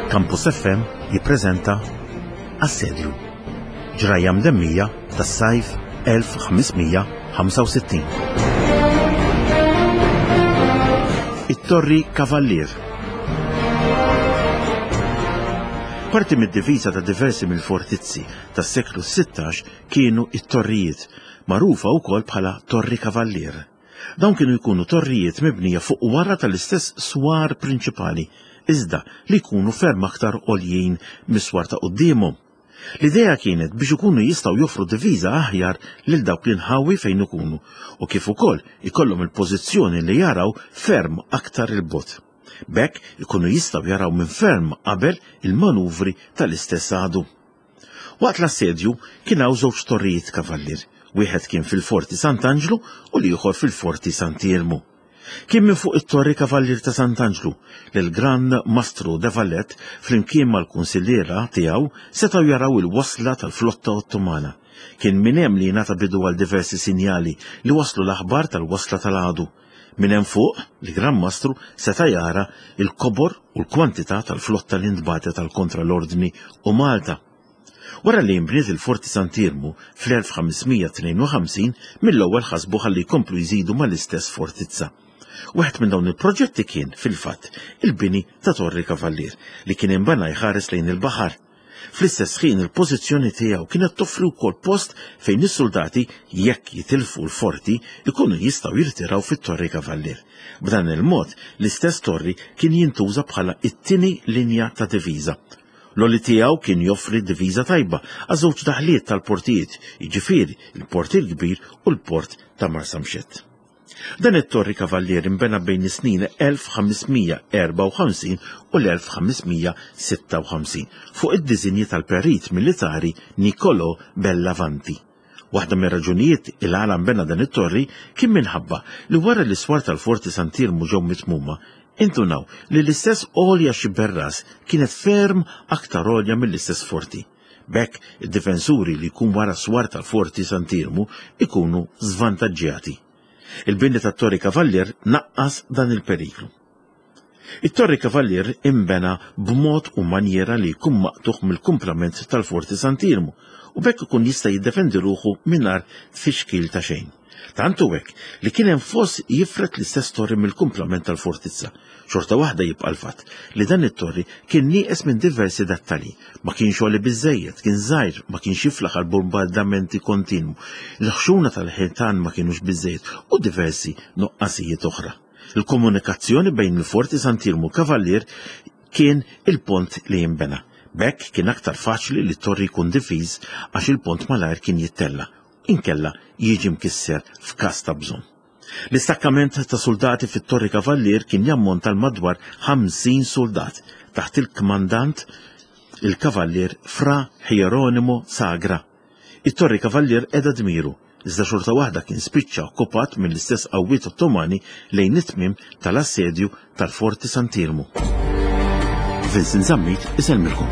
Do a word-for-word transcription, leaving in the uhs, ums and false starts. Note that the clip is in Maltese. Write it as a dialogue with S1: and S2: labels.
S1: Campus F M jippreżenta Assedju, ġrajja mdemmija tas-sajf elf ħames mija ħamsa u sittin. It-Torri Kavallier. Parti mid-difiża ta' diversi mill-fortizzi tas-seklu sittax kienu it-torrijiet, magħrufa wkoll bħala Torri Kavallier. Dawn kienu jkunu torrijiet mibnija fuq wara tal-istess swar prinċipali, iżda li jkunu ferm aktar għoljin mis-swar ta' quddiemhom. L-idea kienet biex ikunu jistgħu joffru diviża aħjar lil dawk l-inħawi fejn ikunu u kif ukoll ikollhom il-pożizzjoni li jaraw ferm aktar il-bogħod. B'hekk ikunu jistgħu jaraw minn ferm qabel il-manuvri tal-istess għadu. Waqt l-assedju kien hawn żewġ torrijiet kavallier, wieħed kien fil-Forti Sant'Anġlu u l-ieħor fil-Forti Sant'Iermu. Kien minn fuq it-Torri Kavallier ta' Sant'Anġlu li l-Gran Mastru de Valette flimkien mal-kunsilliera tiegħu setgħu jaraw il-wasla tal-flotta Ottomana. Kien minn hemm li jingħata bidu għal diversi sinjali li waslu l-aħbar tal-wasla tal-għadu. Minn hemm fuq, il-Gran Mastru seta' jara il-kobor u l-kwantità tal-flotta li ntbagħtet għal kontra l-Ordni u Malta. Wara li nbniet il-Forti Sant'Iermu fl-elf ħames mija tnejn u ħamsin, mill-ewwel ħasbu ħalli jkomplu jżidu mal-istess fortizza. Wieħed minn dawn il-proġetti kien, fil-fatt, il-bini ta' Torri Kavallier li kien inbena jħares lejn il-baħar. Fl-istess ħin il-pożizzjoni tiegħu kienet toffri wkoll post fejn is-soldati, jekk jitilfu l-forti, ikunu jistgħu jirtiraw fit-Torri Kavallier. B'dan il-mod, l-istess torri kien jintuża bħala it-tieni linja ta' diviża. L-għoli tiegħu kien joffri diviża tajba għaż-żewġ daħliet tal-portijiet, jiġifieri il-Port il-Kbir u l-Port ta' Marsamxett. Dan it-Torri Kavallier inbena bejn is-snin elf ħames mija erba' u ħamsin u l-elf ħames mija sitta u ħamsin fuq id-disinji tal-perit militari Niccolò Bellavanti. Waħda mir-raġunijiet il-għala nbena dan it-torri kien minħabba li wara li s-swar tal-Forti Sant'Iermu ġew mitmuma, intunaw li l-istess għolja Xiberras kienet ferm aktar għolja mill-istess forti. B'hekk id-difensuri li jkun wara s-swar tal-Forti Sant'Iermu ikunu żvantaġġjati. Il-bini tat-Torri Kavallier naqqas dan il-periklu. It-Torri Kavallier imbena b'mod u manjera li jkun maqtuħ mill-kumplament tal-Forti Sant'Iermu u b'hekk ikun jista' jiddefendi ruħu mingħajr tfixkil ta' xejn. Tant hu hekk li kien hemm foss jifred l-istess torri mill-kumplament tal-fortizza. Xorta waħda jibqa' l-fatt li dan it-torri kien nieqes minn diversi dettalji. Ma kienx għoli biżżejjed, kien żgħir, ma kienx jiflaħ għal bombardamenti kontinwu. Il-ħxuna tal-ħitan ma kienux biżżejjed u diversi nuqqasijiet oħra. Il-komunikazzjoni bejn il-Forti Sant'Iermu u Kavallier kien il-pont li jinbena. B'hekk kien aktar faċli li t-torri jkun difiż għax il-pont malajr kien jittella, inkella jiġi mkisser f'każ ta' bżonn. L-istakkament ta' soldati fit-Torri Kavallier kien jammonta l madwar ħamsin soldat taħt il-kmandant il-Kavallier Fra Hieronimo Sagra. It-Torri Kavallier qeda dmiru, iżda xorta waħda kien spiċċa okkupat mill-istess qawwiet Ottomani lejn it-tmiem tal-assedju tal-Forti Sant'Iermu. Vincent Zammit isellmilkom.